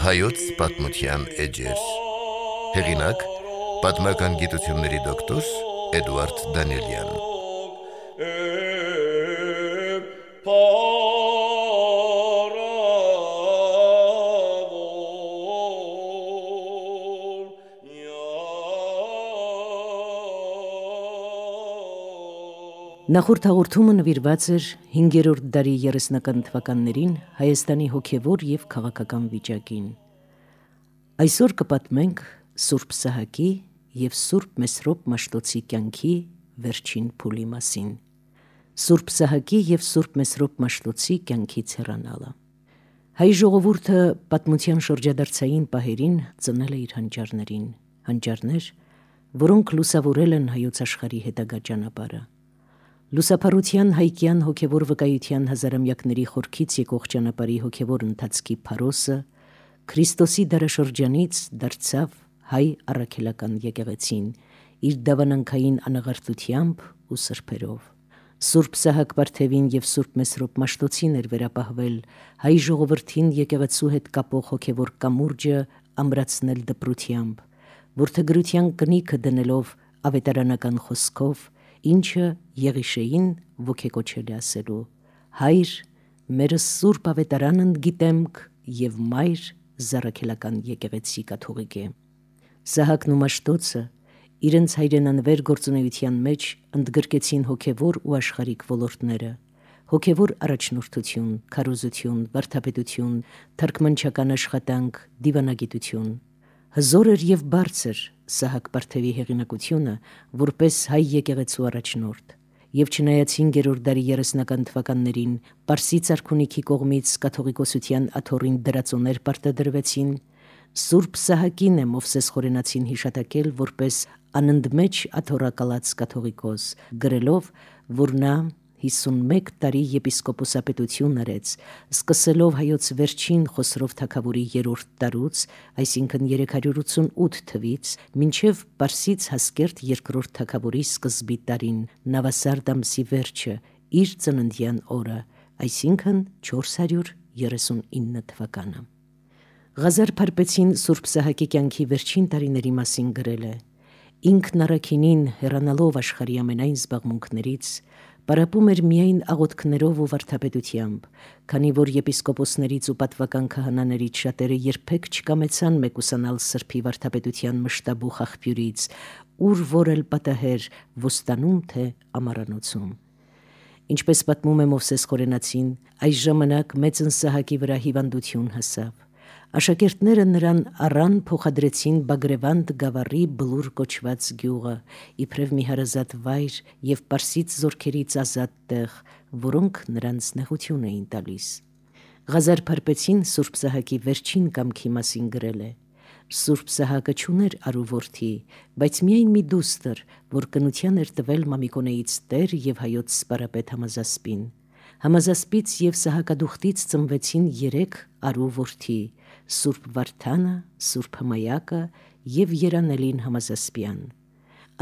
Հայոց պատմության էջեր։ Հեղինակ՝ պատմական գիտությունների դոկտոր Էդուարդ Դանիելյան։ Նախորդ հաղորդումը նվիրված էր 5-րդ դարի 30-ական թվականներին Հայաստանի հոգևոր և քաղաքական վիճակին։ Այսօր կպատմենք Սուրբ Սահակի և Սուրբ Մեսրոպ Մաշտոցի կյանքի վերջին փուլի մասին։ Սուրբ Սահակի և Սուրբ Մեսրոպ Մաշտոցի կյանքից հեռանալը։ Հայ ժողովուրդը պատմության շրջադարձային պահերին ծնել է իր հանճարներին, հանճարներ, որոնք լուսավորել են հայոց աշխարհի հետագա ճանապարհը։ Լուսափարության հայկյան հոգևոր վկայության հազարամյակների խորքից եկող ճանապարհի հոգևոր ընթացքի փարոսը Քրիստոսի դարաշրջանից դարձավ հայ առաքելական եկեղեցին իր դավանանքային անաղարտությամբ ու սրբերով։ Սուրբ Սահակ Պարթևին և Սուրբ Մեսրոպ Մաշտոցին էր վերապահվել հայ ժողովրդին եկեղեցու հետ կապող հոգևոր կամուրջը ամրացնել դպրությամբ, որդեգրության կնիքը դնելով ավետարանական խոսքով, ինչը Եղիշեին ոգեկոչել է ասելու. «Հայր, մերս Սուրբ ավետարանն գիտեմք և մայր զառաքելական եկեղեցի կաթողիկե»։ Սահակն ու Մաշտոցը իրենց հայրենանվեր գործունեության մեջ ընդգրկեցին հոգևոր ու աշխարհիկ ոլորտները՝ հոգևոր առաջնորդություն, քարոզություն, վարդապետություն, թարգմանչական աշխատանք, դիվանագիտություն։ Հզոր էր և բարձր Սահակ Պարթևի հեղինակությունը որպես հայ եկեղեցու առաջնորդ, և չնայած 5-րդ դարի 30-ական թվականներին Պարսից արքունիքի կողմից կաթողիկոսության աթոռին դրածոներ պարտադրվեցին, Սուրբ Սահակին է Մովսես Խորենացին հիշատակել որպես անընդմեջ աթոռակալած կաթողիկոս, գրելով, որ նա 51 տարի եպիսկոպոսապետություն արեց, սկսելով հայոց վերջին Խոսրով թագավորի 3-րդ տարուց, այսինքն 388 թվից, մինչև Պարսից Հասկերտ 2-րդ թագավորի սկզբի տարին, Նավասարդ ամսի վերջը, իր ծննդյան օրը, այսինքն 439 թվականը։ Ղազար Փարպեցին Սուրբ Սահակի կյանքի վերջին տարիների մասին գրել է. «Ինքն առաքինին հեռանալով աշխարհի ամենայն զբաղմունքներից, պարապում էր միայն աղոթքներով ու վարդապետությամբ, քանի որ եպիսկոպոսներից ու պատվական քահանաներից շատերը երբեք չկամեցան մեկուսանալ սրբի վարդապետության մշտաբուխ աղբյուրից, ուր որ էլ պատահեր ոստանում թե ամառանոցում»։ Ինչպես պատմում է Մովսես Խորենացին, այս ժամանակ մեծն Սահակի վրա հիվանդություն հասավ։ Աշակերտները նրան առան փոխադրեցին Բագրևանդ գավառի Բլուր կոչված գյուղը, իբրև մի հարազատ վայր և պարսից զորքերից ազատ տեղ, որոնք նրանց նեղություն էին տալիս։ Ղազար Փարպեցին Սուրբ Սահակի վերջին կամքի մասին գրել է. «Սուրբ Սահակը չուներ արու-որդի, բայց միայն մի դուստր, որ կնության էր տվել Մամիկոնեից տեր և հայոց սպարապետ Համազասպին։ Համազասպից և Սահակադուխտից ծնվեցին 3 արու-որդի՝ Սուրբ Վարդանը, Սուրբ Հմայակը և Երանելին Համազասպյան։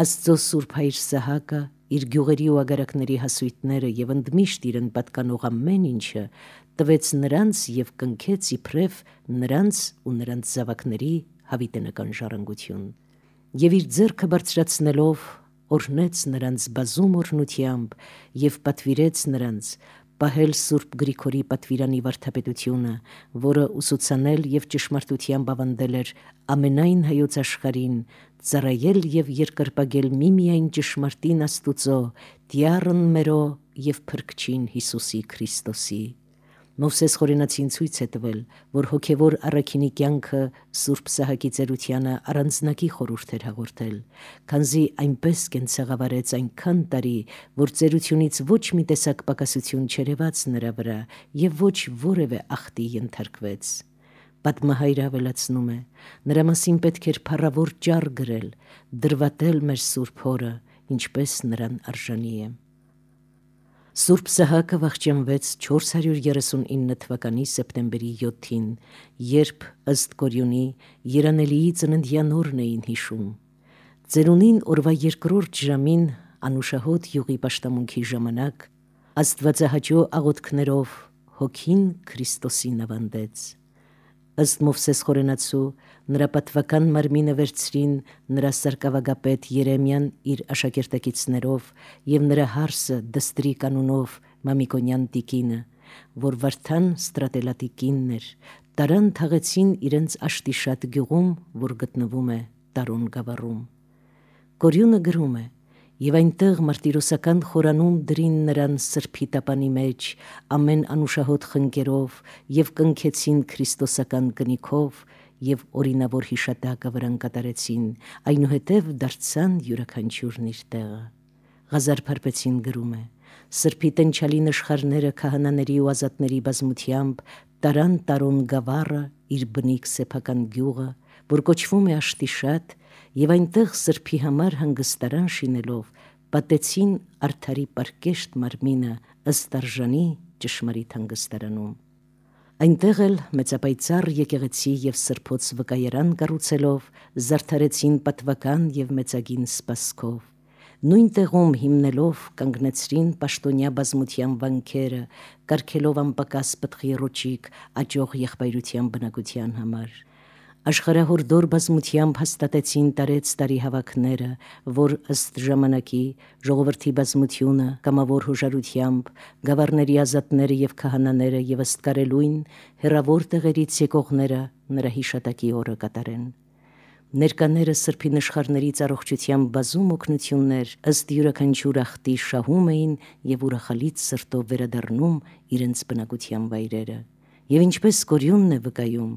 Աստծո Սուրբ Հայր Սահակը իր գյուղերի ու ագարակների հասույթները և ընդմիշտ իրեն պատկանող ամեն ինչը տվեց նրանց և կնքեց իբրև նրանց ու նրանց զավակների հավիտենական ժառանգություն։ Եվ իր ձեռքը բարձրացնելով օրհնեց նրանց բազում օրհնությամբ և պատվիրեց նրանց պահել Սուրբ Գրիգորի պատվիրանի վարդապետությունը, որը ուսուցանել և ճշմարտությամբ ավանդել էր ամենայն հայոց աշխարհին, ծառայել և երկրպագել միմիայն ճշմարտին Աստուծո, Տյառն մերո և Փրկչին Հիսուսի Քրիստոսի։ Մովսես Խորենացին ցույց է տվել, որ հոգևոր առաքինի կյանքը Սուրբ Սահակի ծերությանը առանձնակի խորհուրդ էր հաղորդել, քանզի այնպես կենցաղավարեց այնքան տարի, որ ծերությունից ոչ մի տեսակ պակասություն չերևաց նրա վրա և ոչ որևէ ախտի ենթարկվեց։ Պատմահայրը ավելացնում է. «Նրա մասին պետք էր փառավոր ճառ գրել, դրվատել մեր Սուրբ Հորը, ինչպես նրան արժանի է»։ Սուրբ Սահակը վախճանվեց 439 թվականի սեպտեմբերի 7-ին, երբ ըստ Կորյունի Երանելիի ծննդյան օրն էին հիշում։ Ծերունին օրվա 2-րդ ժամին անուշահոտ յուղի պաշտամունքի ժամանակ աստվածահաճո աղոթքներով հոգին Քրիստոսին ավանդեց։ Ըստ Մովսես խորենացու նրա պատվական մարմինը վերցրին նրա սարկավագապետ Երեմյան իր աշակերտակիցներով և նրա հարսը Դստրի կանունով Մամիկոնյան տիկինը, որ Վարդան Ստրատելատի կինն էր, տարան թաղեցին իրենց Աշտիշատ գյուղում, որ գտնվում է Տարոն գավառում։ Կորյունը գրում է. «Եվ այնտեղ մարտիրոսական խորանում դրին նրան սրբի տապանի մեջ ամեն անուշահոտ խնկերով և կնքեցին քրիստոսական կնիքով և օրինավոր հիշատակը վրան կատարեցին, այնուհետև դարձան յուրաքանչյուրն իր տեղը»։ Ղազար Փարպեցին գրում է. «Սրբի տնչալի նշխարները քահանաների ու ազատների բազմությամբ տարան Տարոն գավառը, իր բնիկ սեփական գյուղը, որ կոչվում է Աշտիշատ, և այնտեղ սրբի համար հանգստարան շինելով պատեցին արդարի պարկեշտ մարմինը ըստ արժանի ճշմարիտ հանգստարանում։ Այնտեղ էլ մեծապայծառ եկեղեցի և սրբոց վկայարան կառուցելով զարդարեցին պատվական և մեծագին սպասքով։ Նույն տեղում հիմնելով կանգնեցրին պաշտոնյա բազմության վանքերը, կարգելով անպակաս պտղի ռոճիկ աճող եղբայրության բնակության համար։ Աշխարհահորդոր բազմությամբ հաստատեցին տարեց-տարի հավաքները, որ ըստ ժամանակի ժողովրդի բազմությունը կամավոր հոժարությամբ, գավառների ազատները և քահանաները և ըստ կարելույն հեռավոր տեղերից եկողները նրա հիշատակի օրը կատարեն։ Ներկաները սրբի նշխարներից առողջության բազում օգնություններ ըստ յուրաքանչյուր ախտի շահում էին և ուրախալից սրտով վերադառնում իրենց բնակության վայրերը։ Եվ ինչպես Կորյունն է վկայում,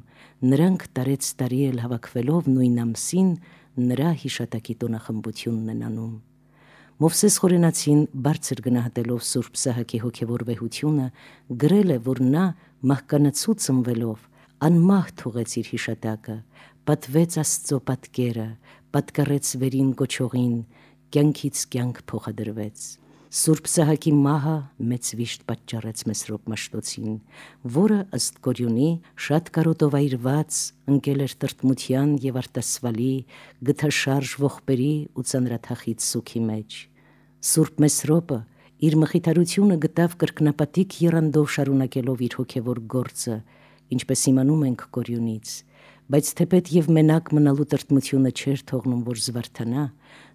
նրանք տարեց-տարի էլ հավաքվելով նույն ամսին նրա հիշատակի տոնախմբությունն են անում։ Մովսես խորենացին բարձր գնահատելով Սուրբ Սահակի հոգևոր վեհությունը գրել է, որ նա մահկանացու ծնվելով անմահ թողեց իր հիշատակը, պատվեց Աստծո պատկերը, պատկառեց վերին կոչողին, կյանքից կյանք փոխադրվեց։ Սուրբ Սահակի մահը մեծ վիշտ պատճառեց Մեսրոպ Մաշտոցին, որը ըստ Կորյունի շատ կարոտով այրված ընկել էր տրտմության և արտասվալի, գթաշարժ ողբերի ու ծանրաթախիծ սուգի մեջ։ Սուրբ Մեսրոպը իր մխիթարությունը գտավ կրկնապատիկ եռանդով շարունակելով իր հոգևոր գործը, ինչպես իմանում ենք Կորյունից, բայց թեպետ և մենակ մնալու տրտմությունը չէր թողնում, որ զվարթանա,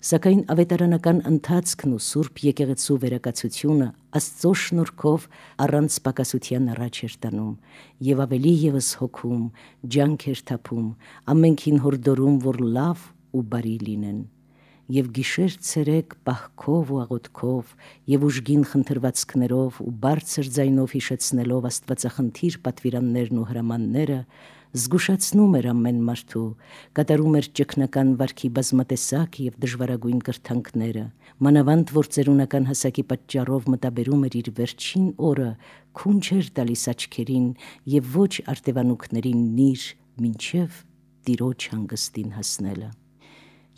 սակայն ավետարանական ընթացքն ու Սուրբ եկեղեցու վերակացությունը Աստծո շնորհքով առանց պակասության առաջ էր տանում և ավելի ևս հոգում, ջանք էր թափում, ամենքին հորդորում, որ լավ ու բարի լինեն։ Եվ գիշեր-ցերեկ պահքով ու աղոթքով և ուժգին խնդրվածքներով ու բարձր ձայնով հիշեցնելով աստվածախնդիր պատվիրաններն ու հրամանները, զգուշացնում էր ամեն մարդու, կատարում էր ճգնական վարքի բազմատեսակ և դժվարագույն կրթանքները, մանավանդ որ ծերունական հասակի պատճառով մտաբերում էր իր վերջին օրը, քուն չէր տալիս աչքերին և ոչ արտևանուքներին նիր, մինչև Տիրոջ հանգստին հասնելը։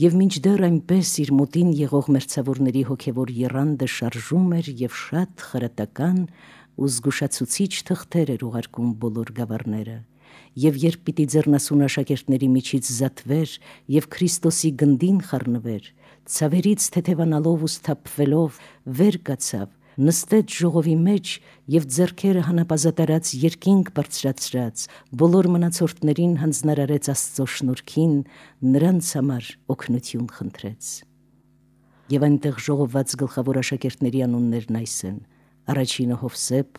Եվ մինչդեռ այնպես իր մոտին եղող մերձավորների հոգևոր եռանդը շարժում էր և շատ խրատական ու զգուշացուցիչ թղթեր էր ուղարկում բոլոր գավառները, և երբ պիտի ձեռնասուն աշակերտների միջից զատվեր և Քրիստոսի գնդին խառնվեր, ցավերից թեթևանալով ու սթափվելով վեր կացավ, նստեց ժողովի մեջ և ձեռքերը հանապազատարած երկինք բարձրացրած բոլոր մնացորդներին հանձնարարեց Աստծո շնորհքին, նրանց համար օգնություն խնդրեց։ Եվ այնտեղ ժողովված գլխավոր աշակերտների անուններն այս են. առաջինը Հովսեփ,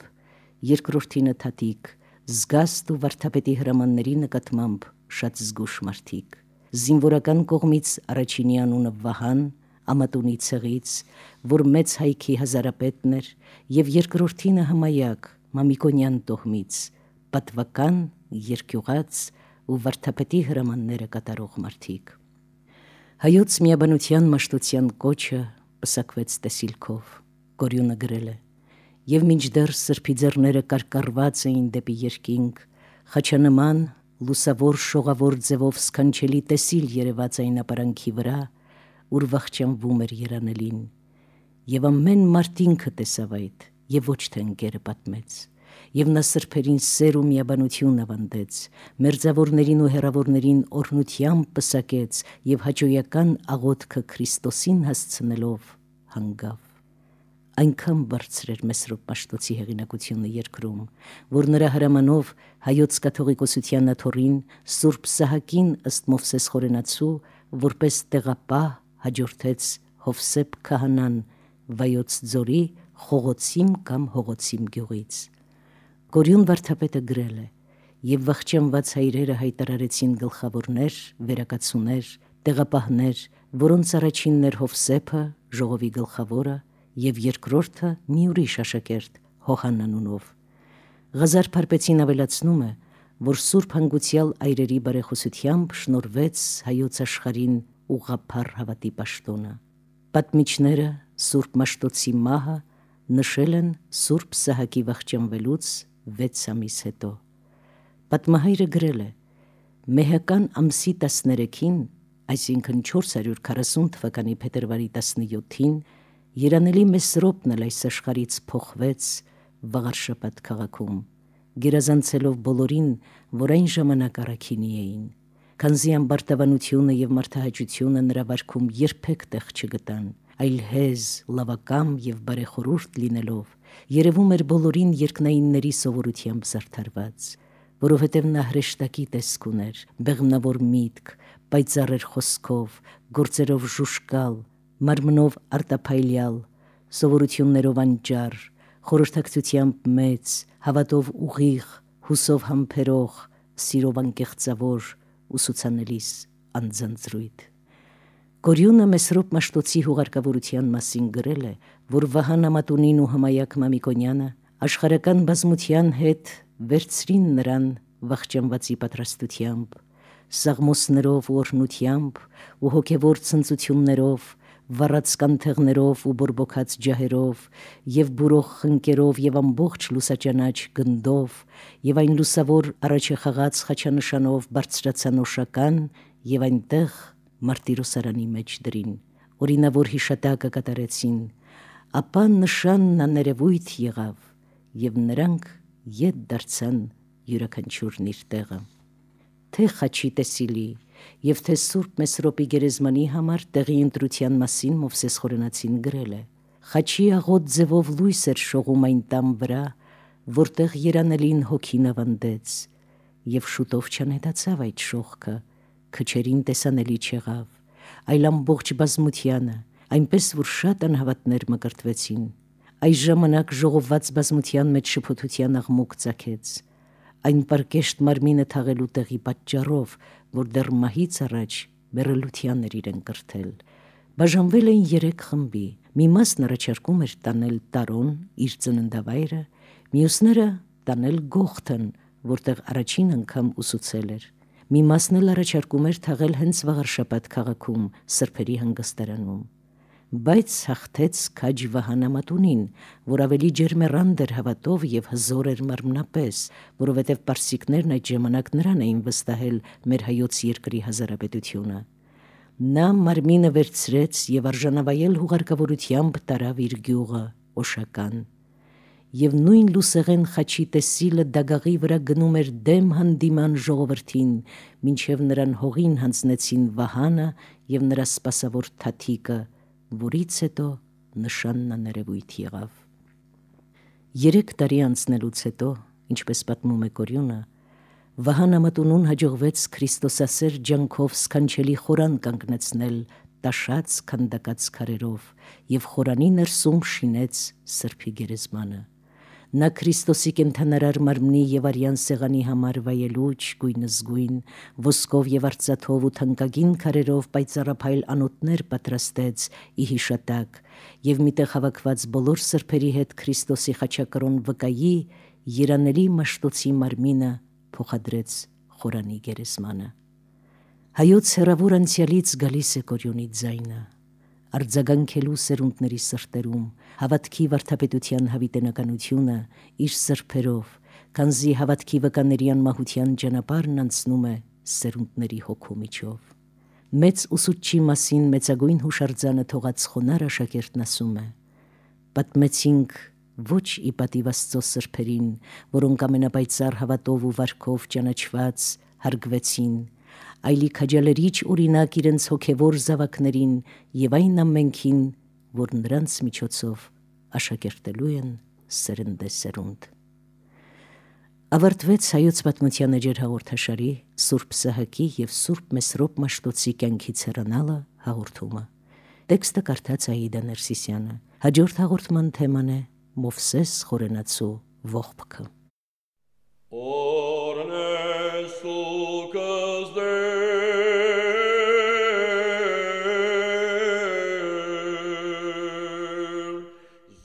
երկրորդինը Թադիկ, զգաստ ու վարդապետի հրամանների նկատմամբ շատ զգուշ մարդիկ, զինվորական կողմից առաջինի անունը Վահան, Ամատունի ցեղից, որ մեծ հայքի հազարապետն էր, և երկրորդինը Հմայակ, Մամիկոնյան տոհմից, պատվական, երկյուղած ու վարդապետի հրամանները կատարող մարդիկ։ Հայոց միաբանության Մաշտոցյան կոչը պսակվեց տեսիլքով։ Կորյունը գրել է. «Եվ մինչդեռ սրբի ձեռները կարկառված էին դեպի երկինք, խաչանման, լուսավոր շողավոր ձևով սքանչելի տեսիլ երևաց այն ապարանքի վրա, ուր վախճանվում էր երանելին, և ամեն մարդ ինքը տեսավ այդ, և ոչ թե ընկերը պատմեց, և նա սրբերին սեր ու միաբանություն ավանդեց, մերձավորներին ու հեռավորներին օրհնությամբ պսակեց և հաճոյական աղոթքը Քրիստոսին հասցնելով հանգավ։ այնքան բարձր էր Մեսրոպ Մաշտոցի հեղինակությունը երկրում, որ նրա հրամանով հայոց կաթողիկոսության աթոռին Սուրբ Սահակին ըստ Մովսես խորենացու որպես տեղապահ հաջորդեց Հովսեփ քահանան Վայոց ձորի Խողոցիմ կամ Հողոցիմ գյուղից։ Գորյուն վարդապետը գրել է. «Եվ վախճանված հայրերը հայտարարեցին գլխավորներ, վերակացուներ, տեղապահներ, որոնց առաջինն էր Հովսեփը, ժողովի գլխավորը, եւ երկրորդը մի ուրիշ աշակերտ Հոհան անունով»։ Ղազար Փարպեցին ավելացնում է, որ Սուրբ Հանգուցյալ այրերի բարեխոսությամբ շնորհվեց հայոց աշխարհին ուղղափառ հավատի պաշտոնը։ Պատմիչները Սուրբ Մաշտոցի մահը նշել են Սուրբ Սահակի վախճանվելուց 6 ամիս հետո։ Պատմահայրը գրել է. «Մեհական ամսի 13-ին, այսինքն 440 թվականի փետրվարի 17-ին, երանելի Մեսրոպն էլ այս աշխարհից փոխվեց Վաղարշապատ քաղաքում, գերազանցելով բոլորին, որ այն ժամանակ առաքինի էին, քանզի ամբարտավանությունը եւ մարդահաճությունը նրա վարքում երբեք տեղ չգտան, այլ հեզ, լավակամ եւ բարեխորհուրդ լինելով, երևում էր բոլորին երկնայինների սովորությամբ զարդարված, որովհետև նա հրեշտակի տեսք ուներ, բեղմնավոր միտք, պայծառ էր խոսքով, գործերով ժուշկալ, մարմնով արտափայլյալ, սովորություններով անճար, խորհրդակցությամբ մեծ, հավատով ուղիղ, հուսով համբերող, սիրով անկեղծավոր, ուսուցանելիս անձանձրույթ»։ Գորյունը Մեսրոպ Մաշտոցի հուղարկավորության մասին գրել է, որ Վահան Ամատունին ու Հմայակ Մամիկոնյանը աշխարհական բազմության հետ վերցրին նրան վախճանվածի պատրաստությամբ, սաղմոսներով ու օրհնությամբ ու հոգևոր ցնծություններով, վառած կանթեղներով ու բորբոքած ջահերով եւ բուրող խնկերով եւ ամբողջ լուսաճանաչ գնդով եւ այն լուսավոր առաջախաղաց խաչանշանով բարձրացան Օշական եւ այնտեղ մարտիրոսարանի մեջ դրին, օրինավոր հիշատակը կատարեցին, ապա նշանն աներևույթ եղավ եւ նրանք ետ դարձան յուրաքանչյուրն իր տեղը։ Թե խաչի տեսիլի եւ թե Սուրբ Մեսրոպի գերեզմանի համար տեղի ընտրության մասին Մովսես խորենացին գրել է. «Խաչի աղոտ ձևով լույս էր շողում այն տան վրա, որտեղ երանելին հոգին ավանդեց, եւ շուտով չանետացավ այդ շողքը, քչերին տեսանելի չեղավ, այլ ամբողջ բազմությանը, այնպես որ շատ անհավատներ մկրտվեցին։ Այս ժամանակ ժողովված բազմության մեջ շփոթության աղմուկ ծագեց, այն պարկեշտ մարմինը թաղելու տեղի պատճառով, որ դեռ մահից առաջ մեռելության էր իրեն կրթել։ Բաժանվել էին 3 խմբի, մի մասն առաջարկում էր տանել Տարոն, իր ծննդավայրը, մյուսները տանել Գողթն, որտեղ առաջին անգամ ուսուցել էր, մի մասն էլ առաջարկում էր թաղել հենց Վաղարշապատ քաղաքում, սրբերի հանգստարանում։ Բայց հաղթեց քաջ Վահան Ամատունին, որ ավելի ջերմեռանդ էր հավատով եւ հզոր էր մարմնապես, որովհետեւ պարսիկներն այդ ժամանակ նրան էին վստահել մեր հայոց երկրի հազարապետությունը։ Նա մարմինը վերցրեց եւ արժանավայել հուղարկավորությամբ տարավ իր գյուղը Օշական։ Եվ նույն լուսեղեն խաչի տեսիլը դագաղի վրա գնում էր դեմ հանդիման ժողովրդին, մինչև նրան հողին հանձնեցին Վահանը եւ նրա սպասավոր թաթիկը, որից հետո նշանն աներևույթ եղավ։ 3 տարի անցնելուց հետո, ինչպես պատմում է Գորյունը, Վահան Ամատունուն հաջողվեց քրիստոսասեր ջանքով սքանչելի խորան կանգնեցնել տաշած քանդակած քարերով եւ խորանի ներսում շինեց սրբի գերեզմանը։ Նա Քրիստոսի կենդանարար մարմնի եւ արյան սեղանի համար վայելուչ, գույնզգույն, ոսկով եւ արծաթով ու թանկագին քարերով պայծառափայլ անոթներ պատրաստեց ի հիշատակ եւ միտեղ հավաքված բոլոր սրբերի հետ Քրիստոսի խաչակրոն վկայի երանելի Մաշտոցի մարմինը փոխադրեց խորանի գերեզմանը։ Հայոց հեռավոր անցյալից գալիս է Գորյունի ձայնը, արձագանքելու սերունդների սրտերում հավատքի վարդապետության հավիտենականությունը իր սրբերով, քանզի հավատքի վկաների անմահության ճանապարհն անցնում է սերունդների հոգու միջով։ Մեծ ուսուցչի մասին մեծագույն հուշարձանը թողած խոնար աշակերտն ասում է. «Պատմեցինք ոչ ի պատիվ Աստծո սրբերին, որոնք ամենապայծառ հավատով ու վարքով ճանաչված հարգվեցին, այլի քաջալերիչ օրինակ իրենց հոգևոր զավակներին եւ այն ամենքին, որ նրանց միջոցով աշակերտելու են սերնդեսերունդ։ Ավարտվեց հայոց պատմության էջեր հաղորդաշարի Սուրբ Սահակի և Սուրբ Մեսրոպ Մաշտոցի կյանքից հեռանալը հաղորդումը։ Տեքստը կարդաց Աիդա Ներսիսյանը։ Հաջորդ հաղորդման թեման է Մովսես խորենացու ողբքը։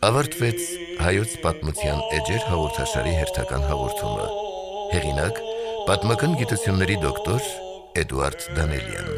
Ավարտվեց հայոց պատմության էջեր հաղորդաշարի հերթական հաղորդումը։ Հեղինակ՝ պատմական գիտությունների դոկտոր Էդուարդ Դանելյան։